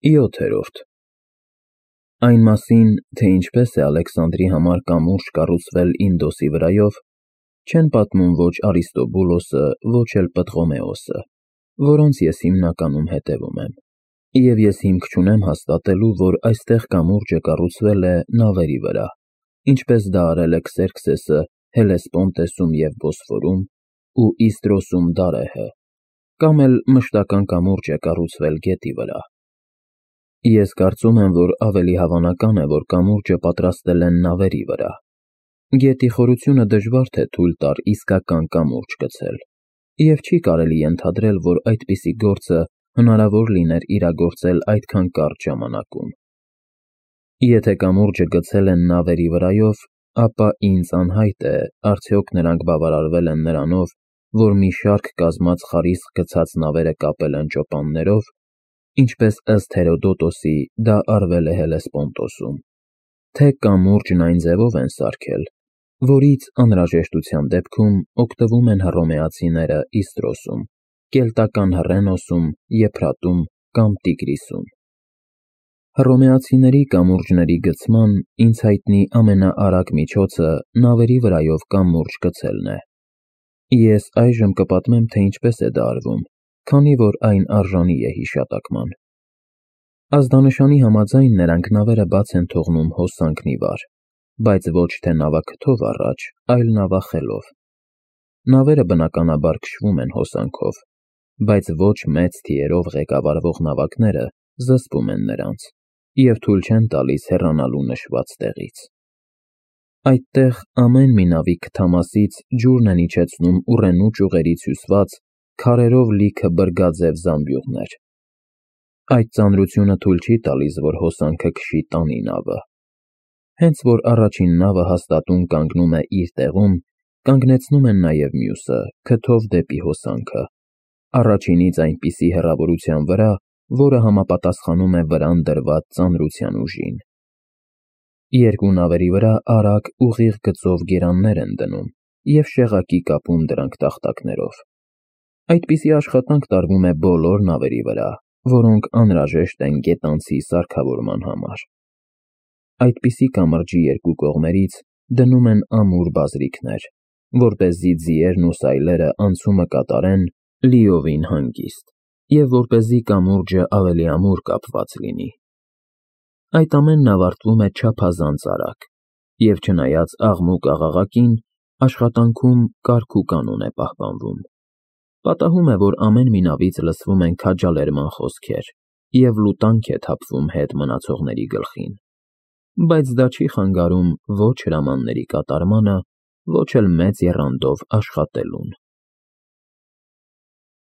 7-րդ Այն մասին, թե ինչպես է Ալեքսանդրի համար կամուրջ կառուցվել Ինդոսի վրայով, չեն պատմում ոչ Արիստոբուլոսը, ոչ էլ Պտղոմեոսը, որոնց ես հիմնականում հետևում եմ, և ես հիմք չունեմ հաստատելու, որ այստեղ կամուրջը կառուցվել է նավերի վրա, ինչպես դա արել է Քսերքսեսը Հելեսպոնտեսում և Բոսֆորում ու Իստրոսում Դարեհը, կամ էլ մշտական կամուրջ է կառուցվել գետի վրա։ Ես կարծում եմ, որ ավելի հավանական է, որ կամուրջը պատրաստել են նավերի վրա։ Գետի խորությունը դժվար թե թույլ տար իսկական կամուրջ գցել, և չի կարելի ենթադրել, որ այդպիսի գործը հնարավոր լիներ իրագործել այդքան կարճ ժամանակում։ Եթե կամուրջը գցել են նավերի վրայով, ապա ինձ անհայտ է, արդյոք նրանք բավարարվել են նրանով, որ մի շարք կազմած խարիսկ գցած նավերը կապել են ճոպաններով, ինչպես ըստ Հերոդոտոսի դա արվել է Հելեսպոնտոսում, թե կամուրջն այն ձևով են սարքել, որից անհրաժեշտության դեպքում օգտվում են հռոմեացիները Իստրոսում, կելտական Հռենոսում, Եփրատում կամ Տիգրիսում։ Հռոմեացիների կամուրջների գցման ինձ հայտնի ամենաարագ միջոցը նավերի վրայով կամուրջ գցելն է։ Ես այժմ կպատմեմ, թե ինչպես է դա արվում, քանի որ այն արժանի է հիշատակման։ Ազդանշանի համաձայն նրանք նավերը բաց են թողնում հոսանքն ի վար, բայց ոչ թե նավաքթով առաջ, այլ նավախելով։ Նավերը բնականաբար քշվում են հոսանքով, բայց ոչ մեծ թիերով ղեկավարվող նավակները զսպում են նրանց և թույլ չեն տալիս հեռանալու նշված տեղից։ Այդտեղ ամեն մի նավի քթամասից ջուրն են իջեցնում ուռենու ճյուղերից հյուսված քարերով լիքը բրգաձև զամբյուղներ։ Այդ ծանրությունը թույլ չի տալիս, որ հոսանքը քշի տանի նավը։ Հենց որ առաջին նավը հաստատուն կանգնում է իր տեղում, կանգնեցնում են նաև մյուսը, քթով դեպի հոսանքը, առաջինից այնպիսի հեռավորության վրա, որը համապատասխանում է վրան դրված ծանրության ուժին։ Երկու նավերի վրա արագ ուղիղ գծով գերաններ են դնում և շեղակի կապում դրանք տախտակներով։ Այդպիսի աշխատանք տարվում է բոլոր նավերի վրա, որոնք անհրաժեշտ են գետանցի սարքավորման համար։ Այդպիսի կամրջի երկու կողմերից դնում են ամուր բազրիքներ, որպեսզի ձիերն ու սայլերը անցումը կատարեն լիովին հանգիստ, և որպեսզի կամուրջը ավելի ամուր կապված լինի։ Այդ ամենն ավարտվում է չափազանց արագ, և չնայած աղմուկ աղաղակին, աշխատանքում կարգ ու կանոն է պահպանվում։ Պատահում է, որ ամեն մի նավից լսվում են քաջալերման խոսքեր, և լուտանք է թափվում հետ մնացողների գլխին, բայց դա չի խանգարում ոչ հրամանների կատարմանը, ոչ էլ մեծ եռանդով աշխատելուն։